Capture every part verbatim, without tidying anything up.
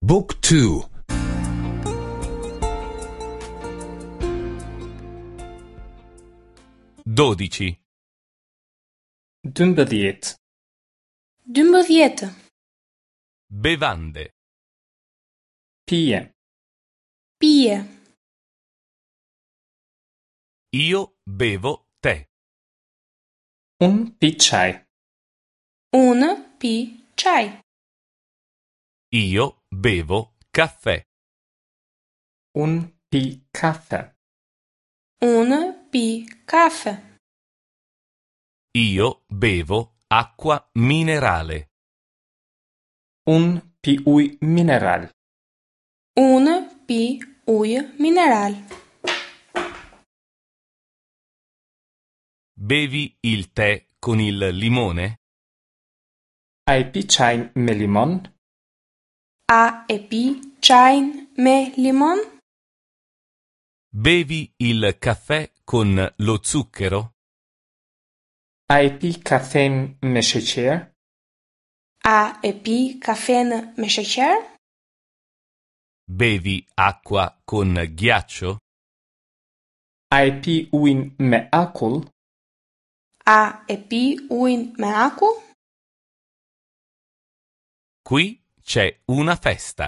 Book two. Dodici. Dymbëdhjetë. Dymbëdhjetë. Bevande. Pije. Pije. Io bevo tè. Unë pi çaj. Unë pi çaj. Io bevo caffè. Unë pi kafe. Unë pi kafe. Io bevo acqua minerale. Unë pi ujë mineral. Unë pi ujë mineral. Bevi il tè con il limone? A e pi çajin me limon? A e pi çajin me limon? Bevi il caffè con lo zucchero? A e pi kafen me sheqer? A e pi kafen me sheqer? Bevi acqua con ghiaccio? A e pi ujin me akull? A e pi ujin me akull? Qui c'è una festa.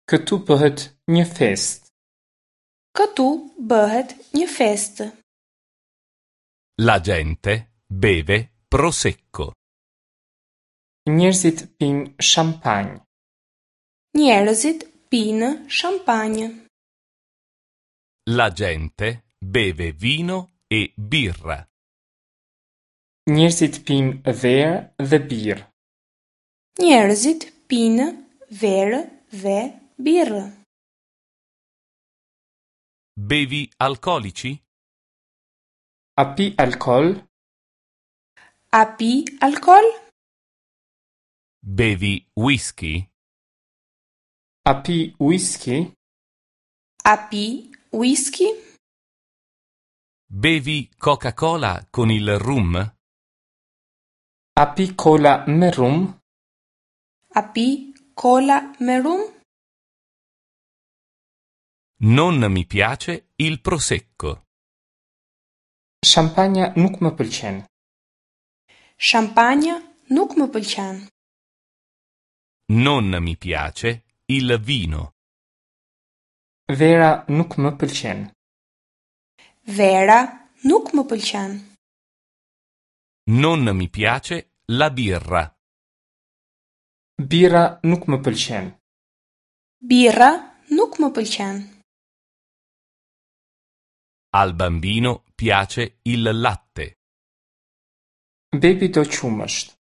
Këtu bëhet një festë. Këtu bëhet një festë. La gente beve prosecco. Njerëzit pinë shampanjë. Njerëzit pinë shampanjë. La gente beve vino e birra. Njerëzit pinë verë dhe birrë. Njerëzit pinë verë dhe birrë. Bevi alcolici? A pi alkool? A pi alkool? Bevi whisky? A pi whisky? A pi whisky? Bevi Coca-Cola con il rum? A pi cola me rum? A pi cola me rum? Non mi piace il prosecco. Shampanja nuk më pëlqen. Shampanja nuk më pëlqen. Non mi piace il vino. Vera nuk më pëlqen. Vera nuk më pëlqen. Non mi piace la birra. Birra nuk më pëlqen. Birra nuk më pëlqen. Al bambino piace il latte. Bebi do qumësht.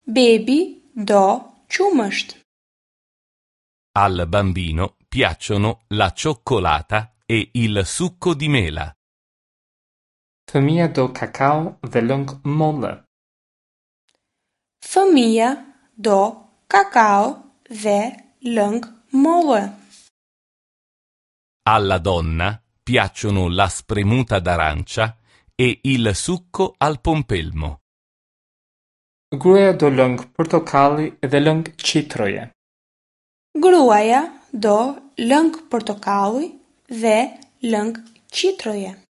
Bebi do qumësht. Al bambino piacciono la cioccolata e il succo di mela. Fëmia do kakao dhe lëng molle. Fëmia do kakao dhe lëng molle. Alla donna piacciono la spremuta d'arancia e il succo al pompelmo. Gruaja do lëng portokalli dhe lëng qitroje. Gruaja do lëng portokalli dhe lëng qitroje.